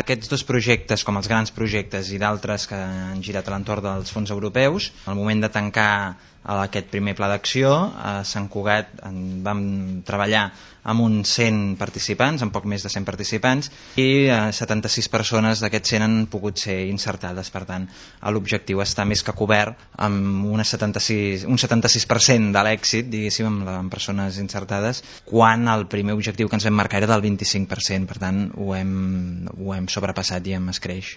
Aquests dos projectes, com els grans projectes i d'altres que han girat a l'entorn dels fons europeus, al moment de tancar aquest primer pla d'acció, a Sant Cugat vam treballar amb uns 100 participants, amb poc més de 100 participants, i 76 persones d'aquests 100 han pogut ser insertades. Per tant, l'objectiu està més que cobert amb un 76% de l'èxit, diguéssim, amb persones insertades, quan el primer objectiu que ens vam marcar era del 25%. Per tant, ho hem sobrepassat i hem escreix.